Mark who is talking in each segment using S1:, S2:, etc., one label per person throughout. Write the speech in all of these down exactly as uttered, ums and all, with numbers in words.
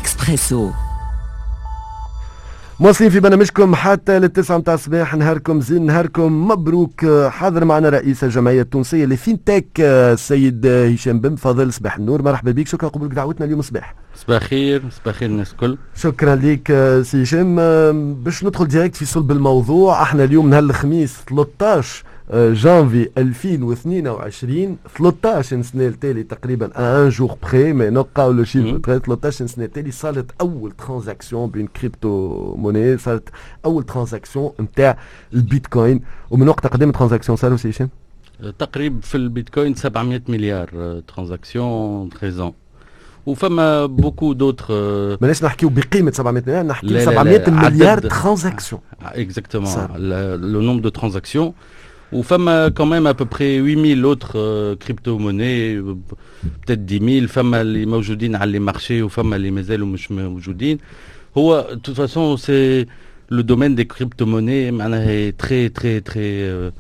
S1: اكسبريسو.
S2: مواصلين في برنامجكم حتى للتسعة متاع الصباح. نهاركم زين، نهاركم مبروك. حاضر معنا رئيس الجمعية التونسية ل fintech السيد هشام بن فضل. صباح النور، مرحبا بك، شكرا قبولك دعوتنا اليوم صباح.
S3: صباح خير، صباح خير الناس الكل.
S2: شكرا لك سي هشام. باش ندخل direct في صلب الموضوع، احنا اليوم نهار الخميس ثلاثة عشر جانفي ألفين واثنين وعشرين، ثلاثة عشر سنة التالي تقريبا، un jour près mais نلقاو le chiffre، ثلاثة عشر سنة التالي صارت اول transaction بين crypto-monnaie، صارت اول transaction نتاع البيتكوين. ومن وقت قدم transactions صاروا سي هشام؟
S3: تقريبا في البيتكوين سبعمية مليار transactions treize ans، وفما beaucoup d'autres.
S2: ماناش نحكيو بقيمة سبعمية مليار، نحكيو سبعمية مليار transactions.
S3: exactement، le nombre de transactions. وفما quand même à peu près huit mille autres euh, crypto-monnaies، peut-être dix mille. فما اللي موجودين على les marchés وفما اللي مازالوا مش موجودين. هو de toute façon c'est le domaine des crypto-monnaies معناها très très très euh,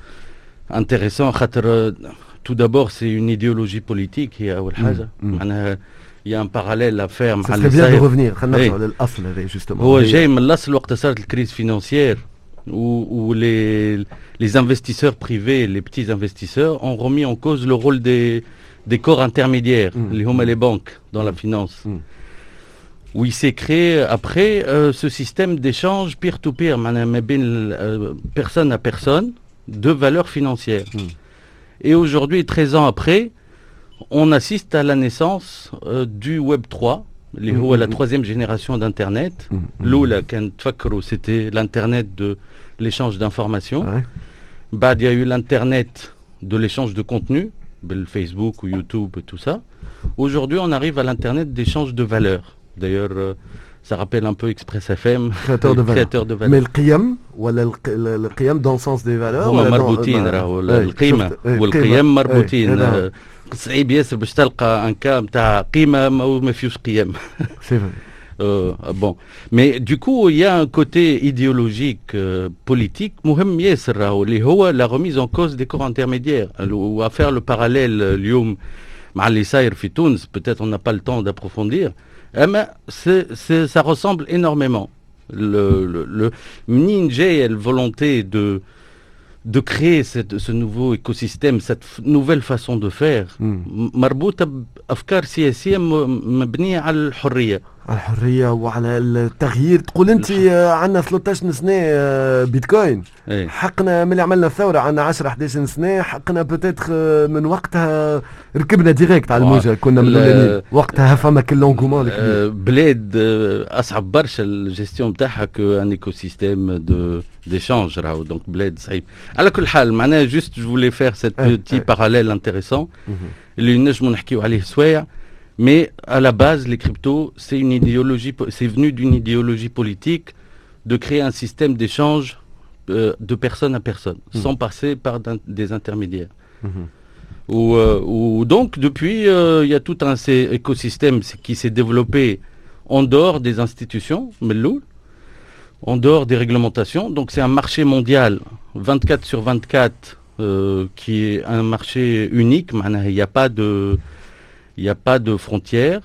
S3: intéressant، خاطر tout d'abord c'est une idéologie politique، هي اول حاجة معناها il y a un parallèle à faire.
S2: مع اللي bien de revenir، خلينا نرجعوا للاصل هذا justement.
S3: هو جاي من الاصل وقت صارت ال crise financière où, où les, les investisseurs privés, les petits investisseurs, ont remis en cause le rôle des, des corps intermédiaires, mmh. اللي هوما les banques dans mmh. la finance. Mmh. Où il s'est créé après euh, ce système d'échange peer-to-peer, euh, personne à personne, de valeurs financières. Et aujourd'hui, treize ans après, on assiste à la naissance euh, du Web trois, اللي هو la troisième génération d'Internet. الأولى كان تفكروا c'était l'Internet de l'échange d'informations. Ouais. بعد il y a eu l'Internet de l'échange de contenu, بال Facebook و YouTube et tout ça. Aujourd'hui, on arrive à l'Internet d'échange de valeurs. D'ailleurs, euh, ça rappelle un peu Express F M.
S2: Créateur de valeur.
S3: Créateur de valeur.
S2: Mais القيم ولا الق- القيم dans le sens des valeurs؟
S3: هما مربوطين، راهو القيمة والقيم مربوطين. آه، صعيب ياسر باش تلقى un cas نتاع قيمة ما ما فيهوش قيم.
S2: c'est vrai.
S3: Euh, bon, mais du coup, il y a un côté idéologique, euh, politique, مهم ياسر راهو، اللي هو la remise en cause des corps intermédiaires. و à faire le parallèle اليوم مع اللي صاير في تونس، peut-être on n'a pas le temps d'approfondir، اما c'est, c'est, ça ressemble énormément. Le, le, le منين جاية la volonté de de créer cette, ce nouveau écosystème, cette f- nouvelle façon de faire، مربوطة بأفكار سياسية م- مبنية على الحرية.
S2: على الحرية وعلى التغيير. تقول انت عندنا ثلاثة عشر سنة آه، بيتكوين؟
S3: إيه.
S2: حقنا من اللي عملنا الثورة عندنا عشرة أحد عشر سنة، حقنا peut-être من وقتها ركبنا direct على الموجة، كنا من الاولانيين وقتها، فما كل l'engouement الكبير.
S3: آه، بلاد آه، اصعب برشا ال gestion نتاعها que un écosystème de d'échange راهو، donc بلاد صعيب. على كل حال معناها juste je voulais faire cette petit parallèle intéressant اللي نجموا نحكيو عليه سوايع. Mais à la base, les cryptos, c'est une idéologie, c'est venu d'une idéologie politique de créer un système d'échange euh, de personne à personne, mmh. sans passer par des intermédiaires. Mmh. Où, euh, où donc, depuis, euh, il y a tout un écosystème qui s'est développé en dehors des institutions, من en dehors des réglementations. Donc, c'est un marché mondial, vingt-quatre sur vingt-quatre, euh, qui est un marché unique. Il n'y a pas de, il n'y a pas de frontières.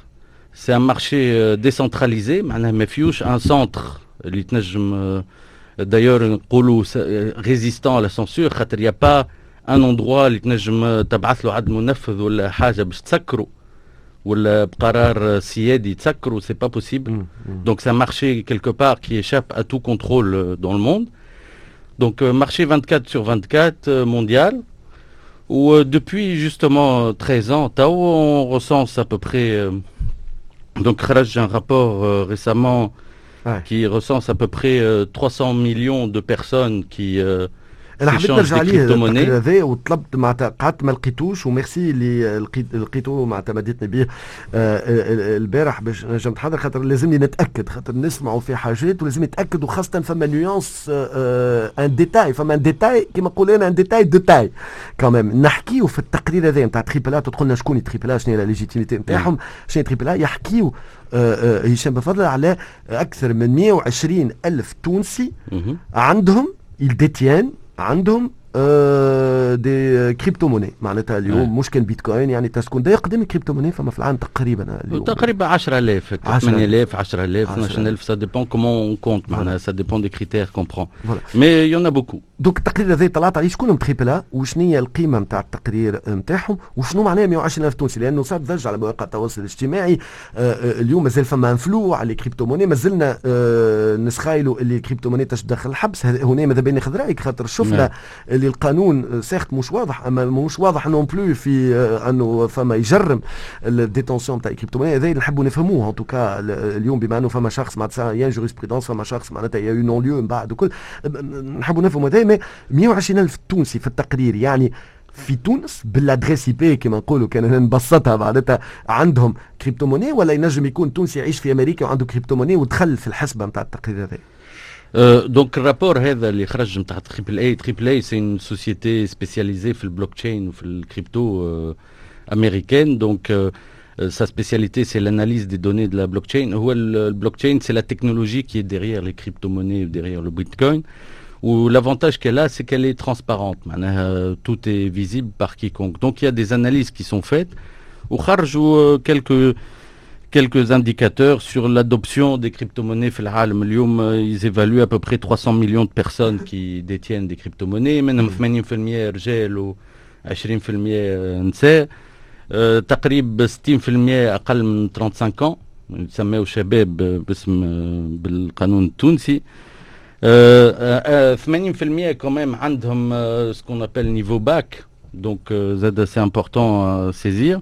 S3: C'est un marché euh, décentralisé. معناها ما فيهوش un centre اللي تنجم d'ailleurs نقولوا résistant à la censure، خاطر il n'y a pas un endroit اللي تنجم تبعث له عدل منفذ ولا حاجة باش تسكروا، ولا بقرار سيادي تسكروا، c'est pas possible. donc c'est un marché quelque part qui échappe à tout contrôle dans le monde. donc marché vingt-quatre sur vingt-quatre mondial où depuis justement treize ans توا on recense à peu près، donc خرج un rapport récemment ouais. qui recense à peu près trois cents millions de personnes qui
S2: انا حبيت نرجع عليه التقرير هذا وطلبت معناتها قعدت ما لقيتوش، وميرسي اللي لقيت لقيته معناتها مديتني به آه، البارح باش نجم نحضر، خاطر لازمني نتاكد، خاطر نسمعوا في حاجات ولازم نتاكد، وخاصة فما nuance، un détail، فما un détail كيما نقول انا un détail de taille quand même. نحكيو في التقرير هذا نتاع Triple A، تدخل لنا شكون Triple A، شنو هي la légitimité نتاعهم، شنو Triple A. يحكيو آه، آه، هشام بفضل على اكثر من مية وعشرين الف تونسي عندهم، ils détiennent، عندهم آه des crypto-monnaies، معناتها اليوم مش كان بيتكوين، يعني تكون داير قدام crypto-monnaie فما في العالم تقريبا
S3: اليوم تقريبا عشرة آلاف، ثمانية آلاف، عشرة آلاف، اثنا عشر ألف، ça dépend comment on compte، معناها ça dépend des critères qu'on prend، mais il y en a beaucoup.
S2: donc التقرير هذا طلعت عليه، شكون Triple A وشنو هي القيمة نتاع التقرير نتاعهم وشنو معناه مية وعشرين ألف تونسي؟ لانه صار ضجه على مواقع التواصل الاجتماعي. آه، آه، اليوم مازال فما un flou على les crypto-monnaies، مازلنا آه، نسخايلوا اللي ال crypto-monnaie تدخل الحبس. هنا ماذا بينا ناخذ رايك، خاطر شفنا نعم. اللي القانون certes مش واضح، اما مش واضح non plus في انه فما يجرم ال détention تاع ال crypto-monnaie. هذا اللي نحبوا نفهموه en tout cas اليوم، بما انه فما شخص معناتها y a une jurisprudence، فما شخص معناتها y a eu non-lieu من بعد وكل، نحبوا نفهموا هذا. mais مية وعشرين الف تونسي في التقرير، يعني في تونس بال adresse IP كما نقولوا، كان نبسطها، معناتها عندهم crypto-monnaie، ولا ينجم يكون تونسي يعيش في امريكا وعنده crypto-monnaie ودخل في الحسبة نتاع التقرير هذا؟
S3: donc ال rapport هذا اللي خرج نتاع Triple A، Triple A c'est une société spécialisée في البلوك تشين وفي ال crypto américaine، donc sa spécialité c'est l'analyse des données de la blockchain. هو ال blockchain c'est la technologie qui est derrière les crypto-monnaies, derrière le bitcoin. و l'avantage qu'elle a, c'est qu'elle est transparente. معناها tout est visible par quiconque. Donc il y a des analyses qui sont faites. وخرجوا quelques quelques indicateurs sur l'adoption des crypto-monnaies في العالم. اليوم ils évaluent à peu près trois cents millions de personnes qui détiennent des crypto-monnaies، منهم ثمانين في المية رجال و عشرين في المية نساء، تقريبا ستين في المية اقل من خمسة وثلاثين ans، يسميو شباب باسم بالقانون التونسي. ثمانين في المية quand même عندهم ce qu'on appelle niveau bac، donc زاد c'est important à saisir.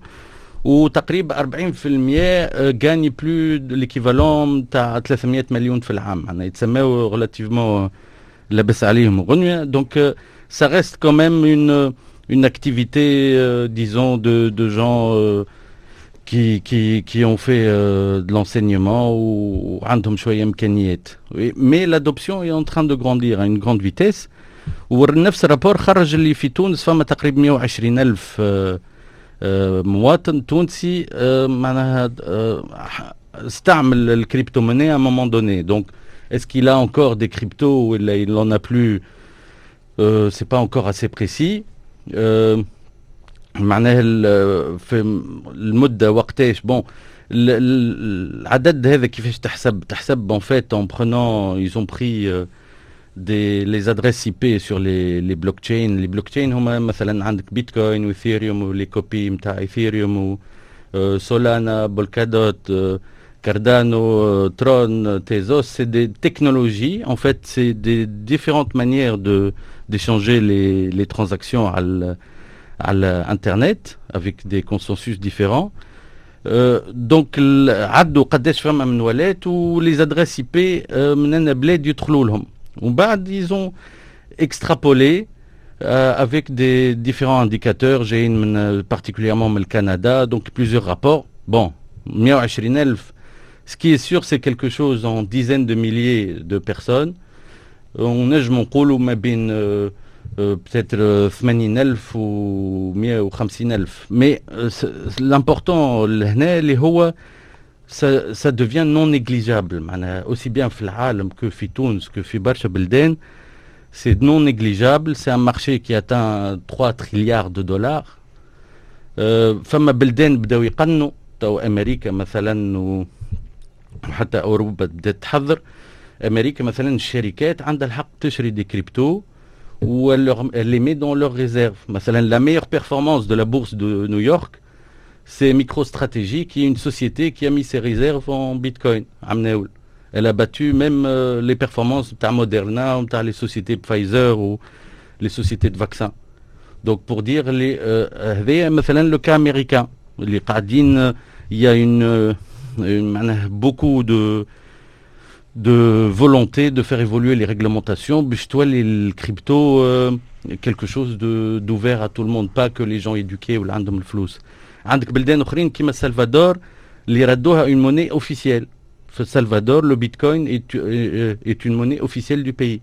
S3: وتقريبا أربعين في المية gagnent plus l'équivalent تاع ثلاثمية مليون في العام، معناها يتسماو relativement لاباس عليهم وغنية. donc ça reste quand même une une activité euh, disons de, de gens euh, qui, qui, qui ont fait euh, de l'enseignement ou عندهم شوية إمكانيات. Mais l'adoption est en train de grandir à une grande vitesse. ونفس ال rapport خرج اللي في تونس فما تقريبا مية وعشرين ألف مواطن تونسي معناها استعمل ال crypto-monnaie à un moment donné. Donc est-ce qu'il a encore des cryptos ou il n'en a plus؟ euh, c'est pas encore assez précis. euh, معناها في المدة وقتاش، bon، العدد هذا كيفاش تحسب؟ تحسب en fait en prenant ils ont pris des les adresses IP sur les les blockchains. les blockchains هما مثلا عندك بيتكوين وايثيريوم و les copies نتاع ايثيريوم و سولانا، بولكادوت، Cardano, Tron, Tezos, c'est des technologies. En fait, c'est des différentes manières de d'échanger les, les transactions à à l'internet avec des consensus différents. Euh, donc عدوا قداش فما من wallet و les adresses IP من أنا بلاد يدخلوا لهم، ومن بعد ils ont extrapolé euh, avec des différents indicateurs جايين من particulièrement من الكندا، donc plusieurs rapports. bon، مية وعشرين ألف، ce qui est sûr c'est quelque chose en dizaines de milliers de personnes. ونجم نقولوا ما بين euh, peut-être ثمانين ألف و مية وخمسين ألف، mais l'important لهنا اللي هو ça, ça devient non négligeable، معناها aussi bien في العالم que في تونس que في برشا بلدان c'est non négligeable. c'est un marché qui atteint trois trilliards de dollars. فما بلدان بداو يقنوا تو، امريكا مثلا وحتى اوروبا بدات تحضر. امريكا مثلا الشركات عندها الحق تشري des cryptos ou elle, leur, elle les met dans leurs réserves. مثلا la meilleure performance de la bourse de New York, c'est MicroStrategy, qui est une société qui a mis ses réserves en Bitcoin. Elle a battu même euh, les performances de Moderna, les sociétés Pfizer ou les sociétés de vaccins. Donc pour dire les euh, مثلا le cas américain اللي قاعدين il y a une, une beaucoup de de volonté de faire évoluer les réglementations باش تولي ال crypto euh, quelque chose de d'ouvert à tout le monde، pas que les gens éduqués ولا عندهم الفلوس. عندك بلدان اخرين كيما السلفادور اللي ردوها une monnaie officielle. في السلفادور le bitcoin est, est une monnaie officielle du pays.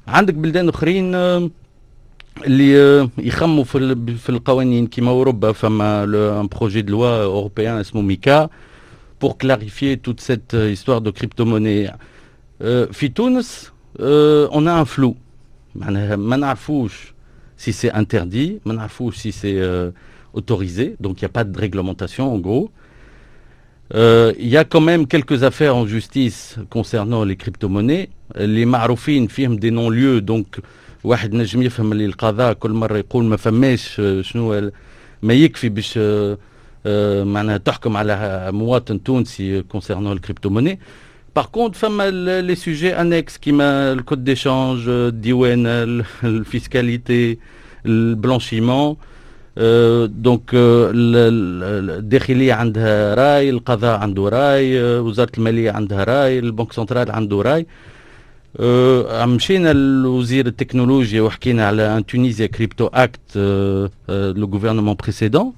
S3: عندك بلدان اخرين اللي يخموا في في القوانين كيما اوروبا، فما un projet de loi européen اسمه MiCA pour clarifier toute cette histoire de crypto-monnaie. في تونس on a un flou، معناها ما نعرفوش. si c'est interdit، ما نعرفوش si c'est euh, autorisé، donc il n'y a pas de réglementation en gros. Euh, il y a quand même quelques affaires en justice concernant les crypto-monnaies اللي معروفين فيهم des non-lieux، donc واحد نجم يفهم اللي القضاء كل مرة يقول ما فماش شنو ما يكفي باش معناها تحكم على مواطن تونسي concernant ال crypto-monnaie. Par contre فما les sujets annexes كيما ال code d'échange، الديوان، ال fiscalité، ال blanchiment. donc الداخلية عندها راي، القضاء عنده راي، وزارة المالية عندها راي، ال banque centrale عنده راي. مشينا لوزير التكنولوجيا وحكينا على un Tunisia Crypto Act. le gouvernement précédent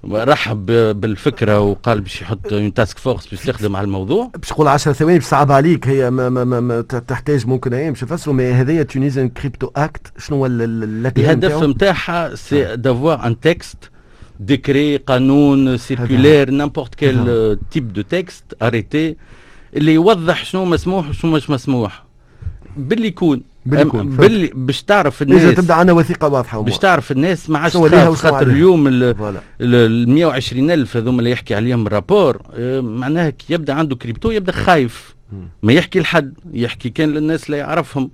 S3: رحب بالفكرة وقال باش يحط une task force باش تخدم على الموضوع.
S2: باش نقول عشر ثواني، باش صعب عليك هي ما ما ما, ما تحتاج ممكن ايام باش نفسروا، mais هذايا Tunisian Crypto Act شنو هو؟
S3: الهدف نتاعها c'est d'avoir un texte، décret، قانون، circulaire، n'importe quel type de texte، arrêté، اللي يوضح شنو مسموح وشنو مش مسموح باللي يكون.
S2: باللي يكون.
S3: باللي باش تعرف الناس.
S2: إذا تبدا عندنا وثيقة واضحه.
S3: باش تعرف الناس ما عادش تخاف، خاطر اليوم ال مية وعشرين الف هذوما اللي يحكي عليهم ال rapport، آه، معناها كي يبدا عنده كريبتو يبدا خايف، ما يحكي لحد، يحكي كان للناس اللي يعرفهم،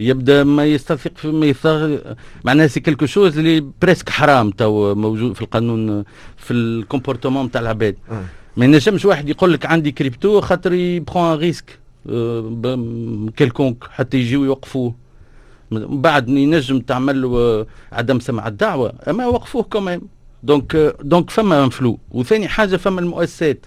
S3: يبدا ما يستثق في ما يثق، معناها c'est quelque chose اللي presque حرام تو موجود في القانون، في ال comportement تاع العباد. ما ينجمش واحد يقول لك عندي كريبتو خاطر il prend un risque quelconque حتى يجيو يوقفوه. من بعد ينجم تعمل له عدم سمع الدعوه، اما وقفوه quand même. donc donc فما un flou. وثاني حاجه، فما المؤسسات،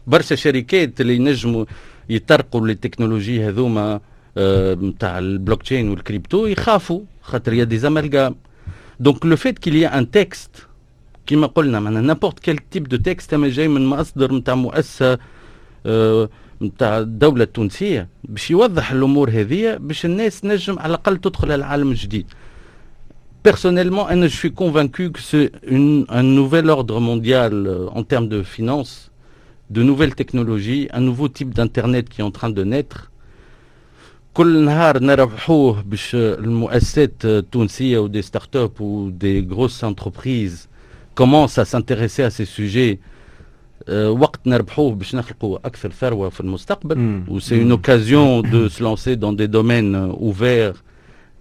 S3: برشا شركات اللي ينجموا يطرقوا للتكنولوجي هذوما نتاع ال blockchain وال crypto يخافوا خاطر il y a des amalgames. donc le fait qu'il y ait un texte، كيما قلنا معناها n'importe quel type de texte، اما جاي من مصدر نتاع مؤسسة نتاع الدولة التونسية باش يوضح الامور هذه، باش الناس نجم على الاقل تدخل العالم الجديد. Personnellement, je suis convaincu que c'est un nouvel ordre mondial en termes de finances, de nouvelles technologies, un nouveau type d'internet qui est en train de naître. كل نهار نربحوه باش المؤسسات التونسية و des startups و des grosses entreprises commencent à s'intéresser à ces sujets، وقت نربحوه باش نخلقوا اكثر ثروة في المستقبل. و c'est une occasion de se lancer dans des domaines ouverts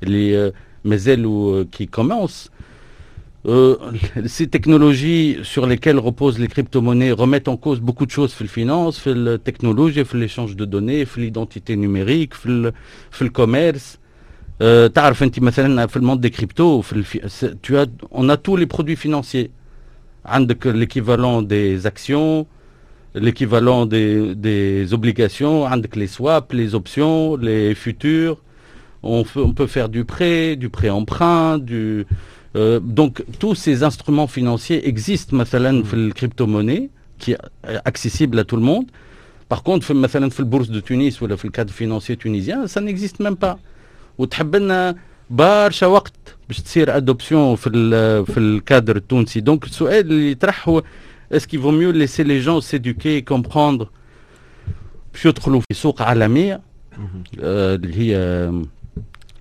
S3: اللي مازالوا qui commencent. Euh, ces technologies sur lesquelles reposent les crypto-monnaies remettent en cause beaucoup de choses في ال finance، في التكنولوجيا، في l'échange de données، في l'identité numérique، في في ال commerce. euh, تعرف انت مثلا في ال monde des cryptos في الفي... tu as on a tous les produits financiers. عندك l'équivalent des actions، l'équivalent des, des obligations، عندك les swaps، les options، les futurs، on, on peut faire du prêt، du prêt-emprunt، du euh, donc tous ces instruments financiers existent مثلا في ال crypto-monnaie qui est accessible à tout le monde. Par contre مثلا في ال bourse de Tunis ولا في ال cadre financier tunisien ça n'existe même pas، وتحب لنا برشا وقت باش تصير adoption في ال في الكادر التونسي. donc السؤال اللي يطرح هو est-ce qu'il vaut mieux laisser les gens s'éduquer، comprendre، باش يدخلوا في سوق عالمية اللي هي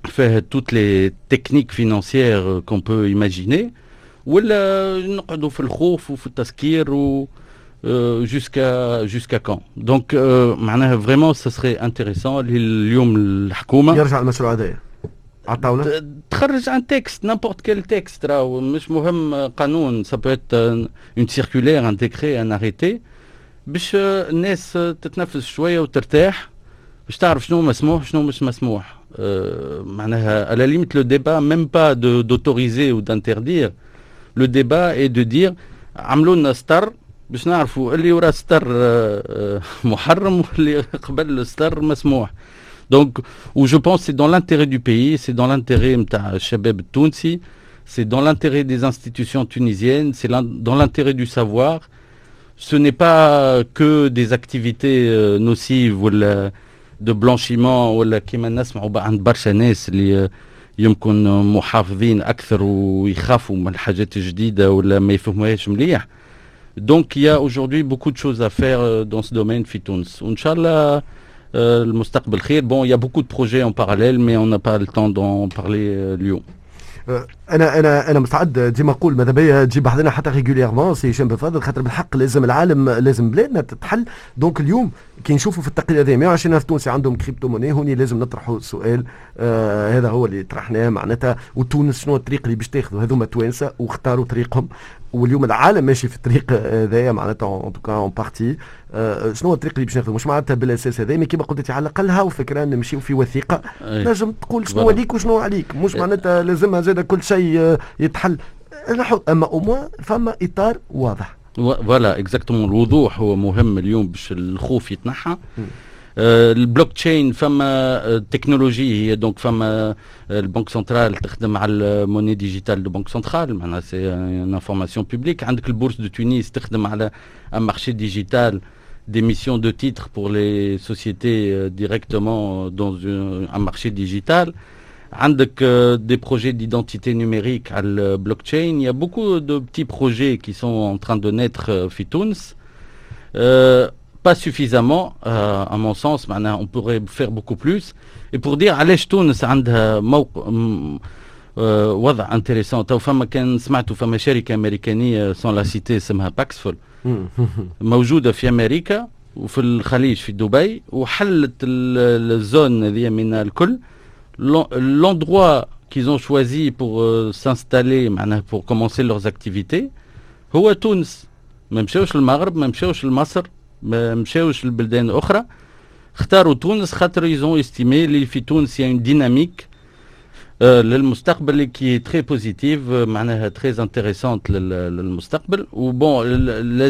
S3: فيها toutes les techniques financières qu'on peut imaginer، ولا نقعدوا في الخوف وفي التسكير و jusqu'à jusqu'à quand؟ donc معناها vraiment ça serait intéressant اليوم الحكومة
S2: يرجع المشروع هذايا على الطاوله.
S3: تخرج un texte، n'importe quel texte، راهو مش مهم قانون، ça peut être une circulaire، un décret، un arrêté، باش الناس تتنفس شوية وترتاح، باش تعرف شنو مسموح شنو مش مسموح. معناها à la limite le débat même pas de d'autoriser ou d'interdire، le débat est de dire عملوا لنا ستر باش نعرفوا اللي ورا ستر محرم واللي قبل الستر مسموح. donc و je pense c'est dans l'intérêt du pays، c'est dans l'intérêt نتاع الشباب التونسي، c'est dans l'intérêt des institutions tunisiennes، c'est dans l'intérêt du savoir. ce n'est pas que des activités nocives ولا de blanchiment ولا كيما نسمعوا عند برشا ناس اللي يمكن محافظين اكثر ويخافوا من الحاجات الجديدة ولا ما يفهموهاش مليح. donc il y a aujourd'hui beaucoup de choses à faire dans ce domaine في تونس، وان شاء الله المستقبل خير. bon، il y a beaucoup de projets en parallèle mais on n'a pas le temps d'en parler اليوم.
S2: انا انا انا مستعد ديما نقول ماذا بيا تجيب بحذانا حتى régulièrement سي هشام بن خاطر بالحق لازم العالم، لازم بلادنا تتحل. donc اليوم كي نشوفوا في التقرير هذا مية وعشرين الف تونسي عندهم crypto-monnaie، هوني لازم نطرحوا السؤال، آه هذا هو اللي طرحناه معناتها، وتونس شنو الطريق اللي باش تاخذوا؟ هذوما توانسة واختاروا طريقهم، واليوم العالم ماشي في الطريق هذايا معناتها en tout cas en partie. شنو هو الطريق اللي باش ناخذه؟ مش معناتها بالاساس هذا، mais كيما قلت على الاقل هاو فكرة نمشيو في وثيقة نجم تقول شنو ليك وشنو عليك. مش معناتها لازمها زاد كل شيء يتحل، اما au moins فما اطار واضح.
S3: voilà، exactement، الوضوح هو مهم اليوم باش الخوف يتنحى. آه، البلوك تشين فما تكنولوجي هي، donc فما ال banque centrale تخدم على ال monnaie digitale de banque centrale، معناها c'est une information publique. عندك ال bourse de Tunis تخدم على un marché digital d'émission de titres pour les sociétés directement dans un, un marché digital. عندك des projets d'identité numérique على ال blockchain. Il y a beaucoup de petits projets qui sont en train de naître في تونس. Euh, pas suffisamment euh, à mon sens، معناها on pourrait faire beaucoup plus. Et pour dire علاش تونس عندها موقع وضع intéressant، تو فما كان سمعتوا فما شركة امريكانيه sans la citer اسمها Paxful، موجودة في امريكا وفي الخليج في دبي، وحلت ال zone هذه من الكل. l'endroit qu'ils ont choisi pour euh, s'installer، معناها pour commencer leurs activités، هو تونس. ما مشاوش للمغرب، ما مشاوش لمصر، ما مشاوش لبلدان اخرى، اختاروا تونس خاطر ils ont estimé اللي في تونس y a une dynamique للمستقبل qui est très positive، معناها très intéressante للمستقبل. و bon،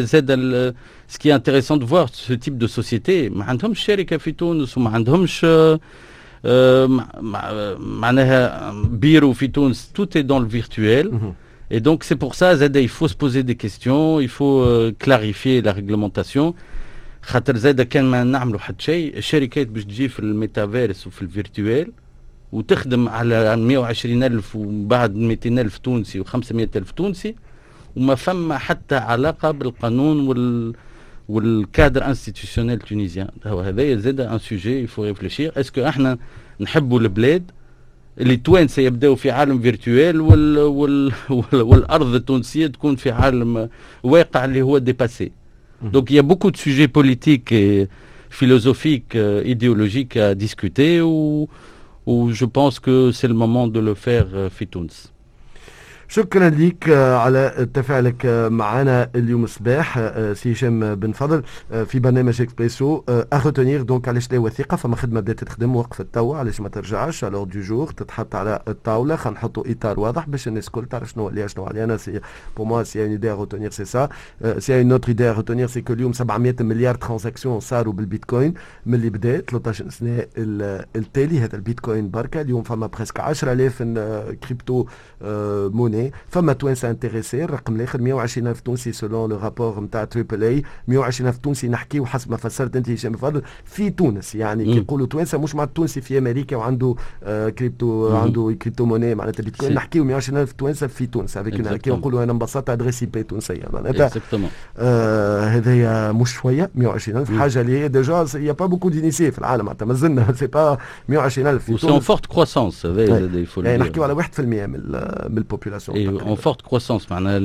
S3: زاد ce qui est intéressant de voir ce type de société ما عندهمش شركة في تونس وما عندهمش معناها بيرو في تونس، tout est dans le virtuel. Et donc c'est pour ça زاد il faut se poser des questions، il faut euh, clarifier la réglementation، خاطر زاد كان ما نعملوا حتى شيء، الشركات باش تجي في الميتافيرس وفي ال virtuel وتخدم على مية وعشرين ألف ومن بعد ميتين ألف تونسي وخمسمية ألف تونسي، وما فما حتى علاقة بالقانون وال وال cadre institutionnel tunisien. هو هذايا زاد un sujet il faut réfléchir، est-ce que احنا نحبوا البلاد اللي التوانسة يبداو في عالم virtuel وال وال والارض التونسية تكون في عالم واقع اللي هو dépassé؟ donc il y a beaucoup de sujets politiques et philosophiques، idéologiques à discuter، و و je pense que c'est le moment de le faire في تونس.
S2: شكرا لك على تفاعلك معنا اليوم الصباح سي هشام بن فضل في برنامج اكسبريسو. à retenir donc علاش لا وثيقه؟ فما خدمة بدات تخدم وقفت توا، علاش ما ترجعش à l'ordre du jour، تتحط على الطاوله؟ خلينا نحطوا اطار واضح باش الناس الكل تعرف شنو عليها شنو علينا. c'est pour moi c'est une idée à retenir، c'est ça. c'est une autre idée à retenir، c'est que اليوم سبعمية مليار transactions صاروا بالبيتكوين من اللي بدا ثلاثطاش سنة التالي. هذا البيتكوين بركه. اليوم فما presque عشرة آلاف crypto-monnaie. فما توانسة intéressés. الرقم الاخر مية وعشرين الف تونسي selon le rapport نتاع Triple A، مية وعشرين الف تونسي نحكيو حسب ما فسرت انت هشام فضل في تونس. يعني كي نقولوا توانسة مش مع التونسي في امريكا وعنده آه كريبتو، عنده crypto-monnaie معناتها بيتكوين، نحكيو مية وعشرين الف توانسة في تونس avec كي نقولوا انا ببساطة adresse IP تونسية معناتها. آه هذايا مش شوية مية وعشرين الف، حاجة اللي هي déjà y a pas beaucoup d'initiés في العالم، معناتها مازلنا c'est pas مية وعشرين الف
S3: في تونس. en forte croissance.
S2: هذا نحكيو على واحد في المية من من ال population.
S3: en forte croissance، معناها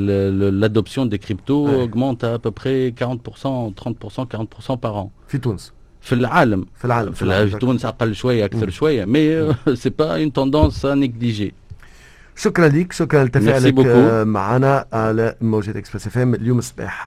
S3: l'adoption des cryptos ouais. augmente à, à peu près quarante pour cent، trente pour cent، quarante pour cent par an.
S2: في تونس؟
S3: في العالم.
S2: في العالم.
S3: في, في تونس اقل شويه، اكثر شويه، mais c'est pas une tendance à négliger.
S2: شكرا لك، شكرا لتفاعلك معنا على موجة اكسبريس اف ام اليوم الصباح.